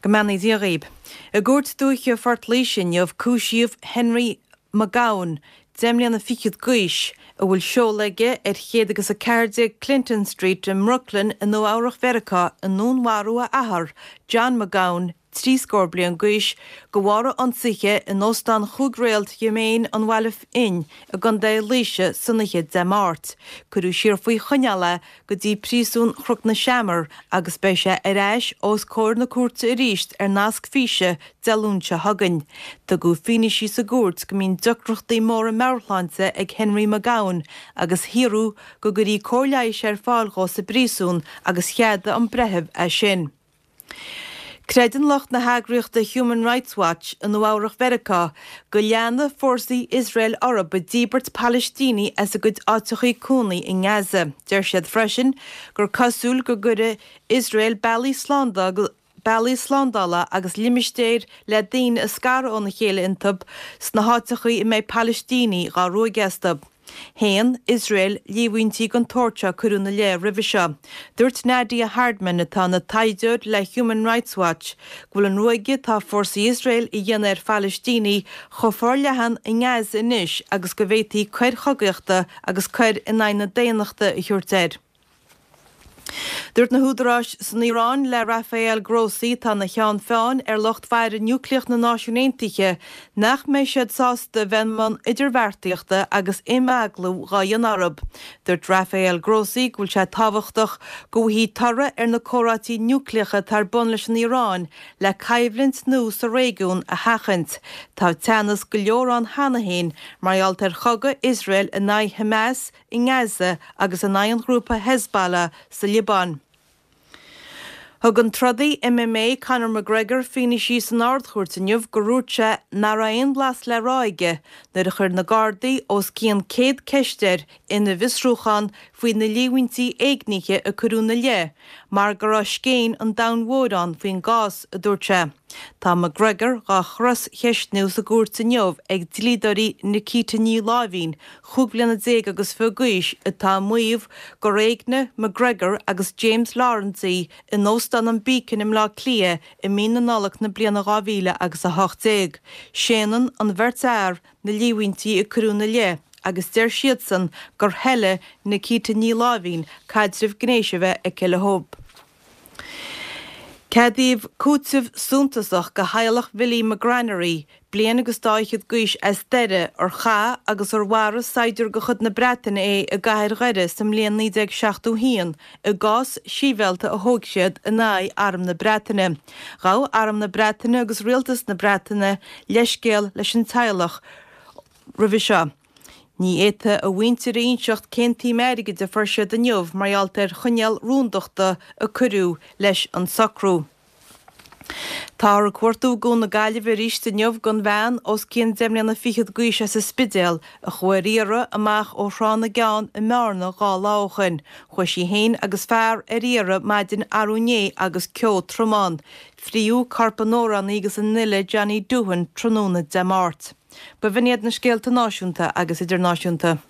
Go mbeannaí Dia dhaoib. I gCúirt Dúiche Phort Laoise inniu cúisíodh Henry McGowan, 10 mbliana fichead d'aois, a bhfuil seoladh aige ar 100 agus 14 Clinton Street i mBrooklyn i Nua Eabhrach Mheiriceá i ndúnmharú a athar, John McGowan, 3 scór bliain d'aois, de bharr a ionsaithe in Óstán Chúig Réalt Dhomaine an Bhaile Fhinn i gContae Laoise san oíche Dé Máirt. Cuireadh siar faoi choinneáil é go dtí Príosún Chnoc na Seamar agus beidh sé ar ais os comhair na cúirte arís ar nasc físe Dé Luain seo chugainn. Tugadh fianaise sa gcúirt go mbíonn deacrachtaí móra meabhairshláinte ag Henry McGowan agus hiarradh go gcuirí cóir leighis ar fáil dhó sa bpríosún agus cheadaigh an breitheamh é sin. Creideann lucht na heagraíochta Human Rights Watch i Nua Eabhrach Mheiriceá go leanfaidh fórsaí Iosrael orthu ag díbirt Palaistínigh as a gcuid áiteachaí cónaí i nGaza. Deir siad freisin gur cosúil go gcuirfidh Iosrael bealaí bealaí slándála agus limistéir le daoine a scaradh óna chéile iontu sna háiteachaí a mbeidh Palaistínigh dhá ruaigeadh astu. Shéan Iosrael líomhaintí den tsórt seo a cuireadh ina leith roimhe seo. Dúirt Nadia Hardman, atá ina taighdeoir le Human Rights Watch, go bhfuil an ruaigeadh atá fórsaí Iosrael a dhéanamh ar Phalaistínigh chomh forleathan i nGaza anois agus go bhféadfaí coir chogaíochta agus coir in aghaidh na daonnachta a thabhairt air. Dúirt na húdaráis san Iaráin le Rafael Grossi, atá ina cheann feadhain ar lucht faire núicléach na Náisiún Aontaithe, nach mbeidh siad sásta a bheith i mbun idirbheartaíochta agus imeaglú dhá dhéanamh orthu. Dúirt Rafael Grossi go bhfuil sé tábhachtach go bhfaighfí toradh ar na comhráití núicléacha atá ar bun leis an Iaráin le coimhlint nua sa réigiún a sheachaint. Tá teannas go leor ann cheana féin mar gheall ar chogadh Iosrael in aghaidh Hamas i nGaza agus in aghaidh an ghrúpa Hezbollah sa Liobáin. Thug an trodaí MMA Conor McGregor fianaise san Ard-Chúirt inniu gur dhúirt sé nach raibh aon bhlas le rá aige nuair a chuir na Gardaí os cionn 100 ceist air ina bhfiosrúchán faoi na líomhaintí éignithe a cuireadh ina leith mar go raibh scéin an domhain mhóir ann faoin gcás, a dúirt sé. Tá McGregor dhá chros-cheistniú sa gcúirt inniu ag dlíodóirí Nikita Ní Láimhín, 15 bliana agus fiche d'aois, atá ag maíomh gur éignigh McGregor agus James Lawrence í in Óstán an Beacon i mBleá Cliath i mí na Nollag na bliana 2000 agus 18. Séanann an bheirt fhear na líomhaintí a cuireadh ina leith agus deir siadsan gur thoiligh Nikita Ní Láimhín caidreamh gnéis a bheith aici leo. Ceadaíodh cúiteamh suntasach do theaghlach Bhilly McGranery, bliain agus dá fhichead d'aois as Doire, ar chaith agus ar mharaigh saighdiúir de chuid na Breataine é i gcathair Dhoire sa mbliain 1971 i gcás sibhialta a thóg siad in aghaidh Arm na Breataine. Ghabh Arm na Breataine agus Rialtas na Breataine leithscéal leis an teaghlach roimhe seo. Ní fhéadfaidh a mhuintir a inseacht cén tsuim airgid a fuair siad inniu mar gheall ar choinníoll rúndachta a cuireadh leis an socrú. Táthar ag cuartú i gCuan na Gaillimhe arís inniu don bhean os cionn deich mbliana fichead d'aois as an Spidéal a chuaigh ar iarraidh amach ó Thrá na gCeann i mBearna 2 lá ó shoin. Chuaigh sí féin agus fear ar iarraidh maidin arú inné agus ceo trom ann. Fríodh corp an amhránaí agus an fhile Johnny Doohan tráthnóna Dé Máirt. B'in iad na scéalta náisiúnta agus idirnáisiúnta.